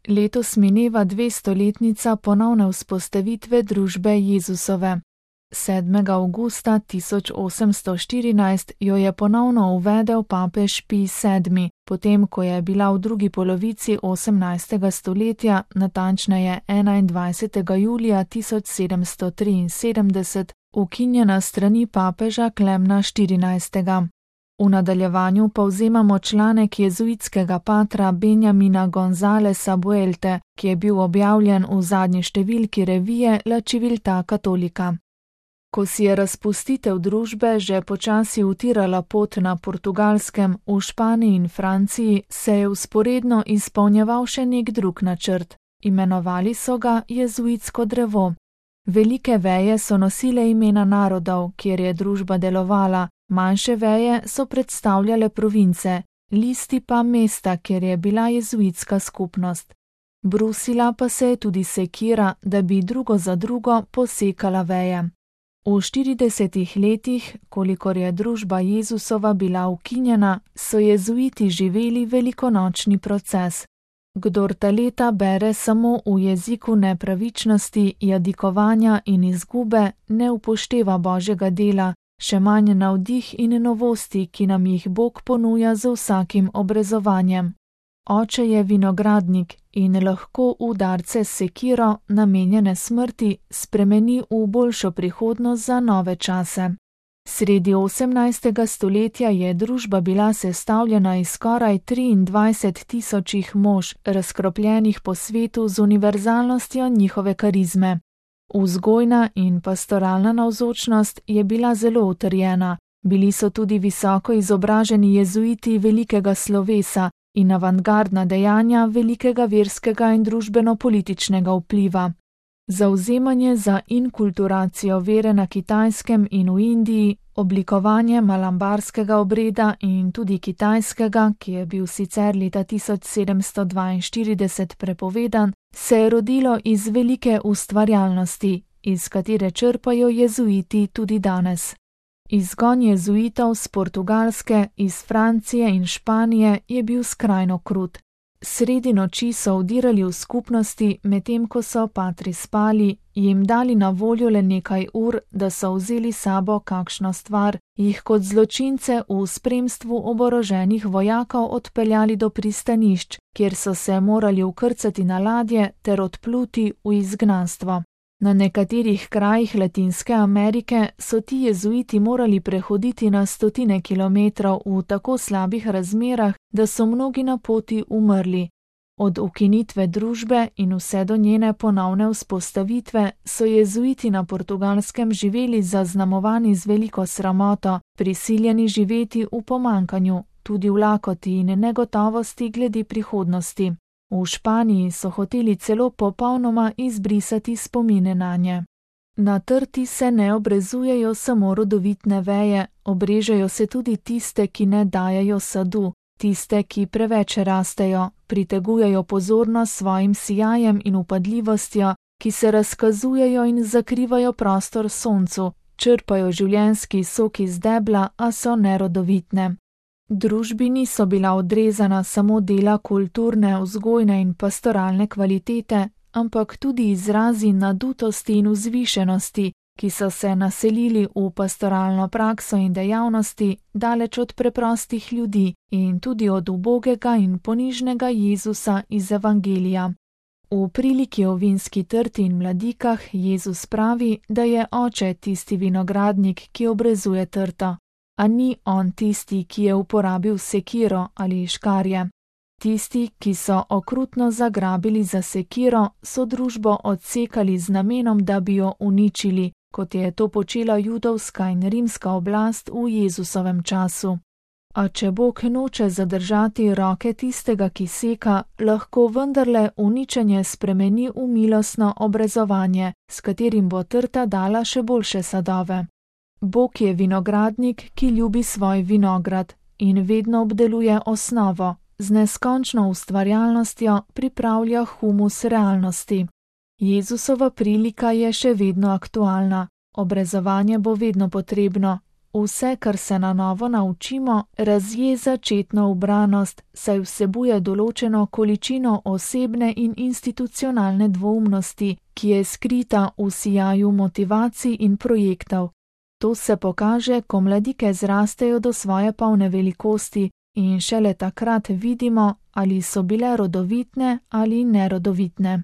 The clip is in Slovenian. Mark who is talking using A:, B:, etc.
A: Letos mineva 200-letnica ponovne vzpostavitve družbe Jezusove. 7. avgusta 1814 jo je ponovno uvedel papež Pij VII, potem ko je bila v drugi polovici 18. stoletja, natančneje 21. julija 1773, ukinjena strani papeža Klemna XIV. V nadaljevanju povzemamo članek jezuitskega patra Benjamina Gonzalesa Buelte, ki je bil objavljen v zadnji številki revije La Civiltà Cattolica. Ko si je razpustitev družbe že počasi utirala pot na Portugalskem, v Španiji in Franciji, se je vzporedno izpolnjeval še nek drug načrt. Imenovali so ga jezuitsko drevo. Velike veje so nosile imena narodov, kjer je družba delovala, manjše veje so predstavljale province, listi pa mesta, kjer je bila jezuitska skupnost. Brusila pa se je tudi sekira, da bi drugo za drugo posekala veje. V 40 letih, kolikor je družba Jezusova bila ukinjena, so jezuiti živeli velikonočni proces. Kdor ta leta bere samo v jeziku nepravičnosti, jadikovanja in izgube, ne upošteva Božjega dela, še manj navdih in novosti, ki nam jih Bog ponuja z vsakim obrezovanjem. Oče je vinogradnik in lahko udarce s sekiro, namenjene smrti, spremeni v boljšo prihodnost za nove čase. Sredi 18. stoletja je družba bila sestavljena iz skoraj 23 000 mož, razkropljenih po svetu z univerzalnostjo njihove karizme. Vzgojna in pastoralna navzočnost je bila zelo utrjena, bili so tudi visoko izobraženi jezuiti velikega slovesa in avantgardna dejanja velikega verskega in družbeno-političnega vpliva. Zavzemanje za inkulturacijo vere na Kitajskem in v Indiji, oblikovanje malambarskega obreda in tudi kitajskega, ki je bil sicer leta 1742 prepovedan, se je rodilo iz velike ustvarjalnosti, iz katere črpajo jezuiti tudi danes. Izgon jezuitov z Portugalske, iz Francije in Španije je bil skrajno krut. Sredi noči so vdirali v skupnosti, medtem ko so patri spali, jim dali na voljo le nekaj ur, da so vzeli sabo kakšno stvar, jih kot zločince v spremstvu oboroženih vojakov odpeljali do pristanišč, kjer so se morali vkrcati na ladje ter odpluti v izgnanstvo. Na nekaterih krajih Latinske Amerike so ti jezuiti morali prehoditi na 100 kilometrov v tako slabih razmerah, da so mnogi na poti umrli. Od ukinitve družbe in vse do njene ponovne vzpostavitve so jezuiti na Portugalskem živeli zaznamovani z veliko sramoto, prisiljeni živeti v pomanjkanju, tudi v lakoti in negotovosti glede prihodnosti. V Španiji so hoteli celo popolnoma izbrisati spomine nanje. Na trti se ne obrezujejo samo rodovitne veje, obrežejo se tudi tiste, ki ne dajejo sadu, tiste, ki preveč rastejo, pritegujejo pozornost svojim sijajem in upadljivostjo, ki se razkazujejo in zakrivajo prostor soncu, črpajo življenjski sok iz debla, a so nerodovitne. Družbi niso bila odrezana samo dela kulturne, vzgojne in pastoralne kvalitete, ampak tudi izrazi nadutosti in vzvišenosti, ki so se naselili v pastoralno prakso in dejavnosti daleč od preprostih ljudi in tudi od ubogega in ponižnega Jezusa iz Evangelija. V priliki o vinski trti in mladikah Jezus pravi, da je oče tisti vinogradnik, ki obrezuje trto. A ni on tisti, ki je uporabil sekiro ali škarje. Tisti, ki so okrutno zagrabili za sekiro, so družbo odsekali z namenom, da bi jo uničili, kot je to počela judovska in rimska oblast v Jezusovem času. A če Bog noče zadržati roke tistega, ki seka, lahko vendarle uničenje spremeni v milostno obrezovanje, s katerim bo trta dala še boljše sadove. Bog je vinogradnik, ki ljubi svoj vinograd in vedno obdeluje osnovo, z neskončno ustvarjalnostjo pripravlja humus realnosti. Jezusova prilika je še vedno aktualna, obrezovanje bo vedno potrebno, Vse, kar se na novo naučimo, razje začetno ubranost, saj vsebuje določeno količino osebne in institucionalne dvoumnosti, ki je skrita v sijaju motivacij in projektov. To se pokaže, ko mladike zrastejo do svoje polne velikosti in šele takrat vidimo, ali so bile rodovitne ali nerodovitne.